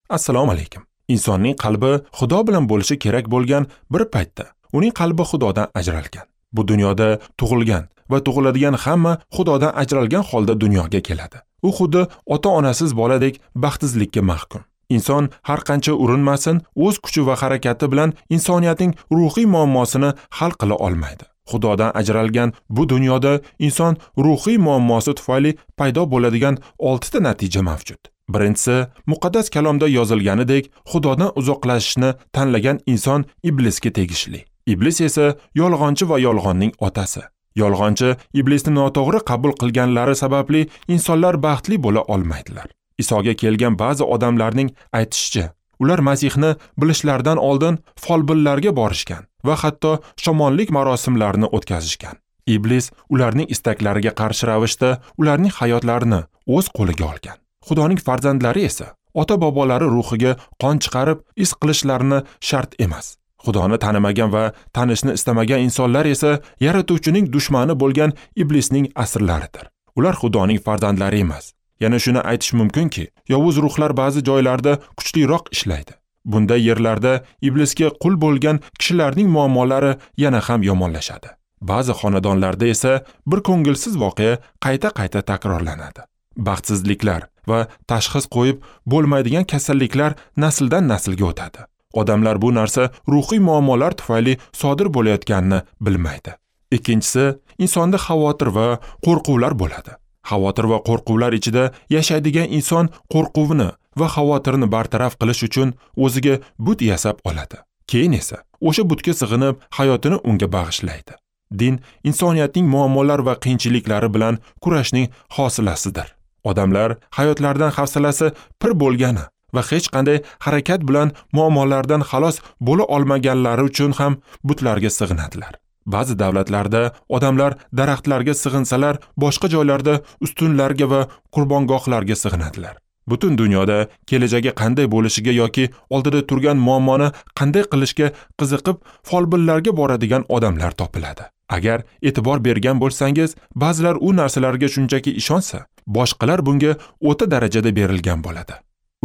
Assalomu alaykum. Insonning qalbi Xudo bilan bo'lishi kerak bo'lgan bir paytda uning qalbi Xudodan ajralgan. Bu dunyoda tug'ilgan va tug'iladigan hamma Xudodan ajralgan holda dunyoga keladi. U xuddi ota-onasiz boladek baxtsizlikka mahkum. Inson har qancha urinmasin, o'z kuchi va harakati bilan insoniyatning ruhiy muammosini hal qila olmaydi. Xudodan ajralgan bu dunyoda inson ruhiy muammosi tufayli paydo bo'ladigan 6 ta natija mavjud. Birinchisi, muqaddas kalomda yozilganidek, Xudodan uzoqlashishni tanlagan inson iblisga tegishli. Iblis esa yolg'onchi va yolg'onning otasi. Yolg'onchi iblisni noto'g'ri qabul qilganlari sababli insonlar baxtli bo'la olmaydilar. Isoga kelgan ba'zi odamlarning aytishicha, ular Masihni bilishlaridan oldin folbinlarga borishgan va hatto shamonlik marosimlarini o'tkazishgan. Iblis ularning istaklariga qarshi ravishda ularning hayotlarini o'z qo'liga olgan. Xudoning farzandlari esa ota-bobolari ruhiga qon chiqarib iz qilishlarini shart emas. Xudoni tanimagan va tanishni istamagan insonlar esa yaratuvchining dushmani bo'lgan iblisning asirlaridir. Ular Xudoning farzandlari emas. Yana shuni aytish mumkinki, yovuz ruhlar ba'zi joylarda kuchliroq ishlaydi. Bunday yerlarda iblisga qul bo'lgan kishilarning muammolari yana ham yomonlashadi. Ba'zi xonadonlarda esa bir ko'ngilsiz voqea qayta-qayta takrorlanadi. Baxtsizliklar va tashxis qo'yib bo'lmaydigan kasalliklar nasldan naslga o'tadi. Odamlar bu narsa ruhiy muammolar tufayli sodir bo'layotganini bilmaydi. Ikkinchisi, insonda xavotir va qo'rquvlar bo'ladi. Xavotir va qo'rquvlar ichida yashaydigan inson qo'rquvni va xavotirni bartaraf qilish uchun o'ziga but yasab oladi. Keyin esa o'sha butga sig'inib hayotini unga bag'ishlaydi. Din insoniyatning muammolar va qiyinchiliklari bilan kurashning hosilasidir. Odamlar hayotlaridan hafsalasi pir bo'lgani va hech qanday harakat bilan muammolardan xalos bo'la olmaganlari uchun ham butlarga sig'inadilar. Ba'zi davlatlarda odamlar daraxtlarga sig'insalar, boshqa joylarda ustunlarga va qurbongohlarga sig'inadilar. Butun dunyoda kelajagi qanday bo'lishiga yoki oldida turgan muammoni qanday qilishga qiziqib folbinlarga boradigan odamlar topiladi. Agar e'tibor bergan bo'lsangiz, ba'zilar u narsalarga shunchaki ishonsa, boshqalar bunga o'ta darajada berilgan bo'ladi.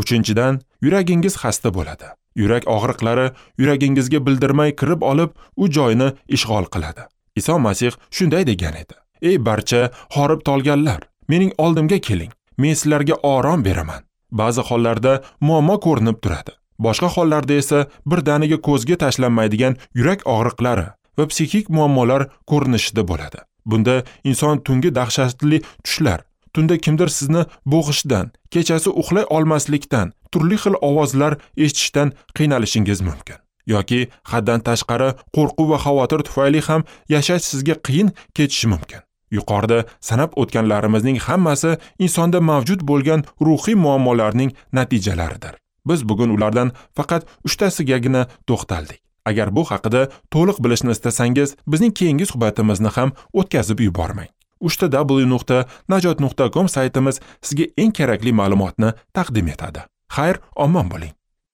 Uchinchidan, yuragingiz xasta bo'ladi. Yurak og'riqlari yuragingizga bildirmay kirib olib, u joyni ishg'ol qiladi. Iso Masih shunday degan edi: "Ey barcha horib tolganlar, mening oldimga keling, men sizlarga orom beraman." Ba'zi hollarda muammo ko'rinib turadi. Boshqa hollarda esa birdaniga ko'zga tashlanmaydigan yurak og'riqlari va psixik muammolar ko'rinishida bo'ladi. Bunda inson tungi dahshatli tushlar, tunda kimdir sizni bo'g'ishidan, kechasi uxlay olmaslikdan, turli xil ovozlar eshitishdan qiynalishingiz mumkin. Yoki haddan tashqari qo'rquv va xavotir tufayli ham yashash sizga qiyin kechishi mumkin. Yuqorida sanab o'tganlarimizning hammasi insonda mavjud bo'lgan ruhiy muammolarning natijalaridir. Biz bugun ulardan faqat 3 tasigagina to'xtaldik. Agar bu haqida to'liq bilishni istasangiz, bizning keyingi suhbatimizni ham o'tkazib yubormang. www.najot.com saytimiz sizga eng kerakli ma'lumotni taqdim etadi. Xayr, omon bo'ling.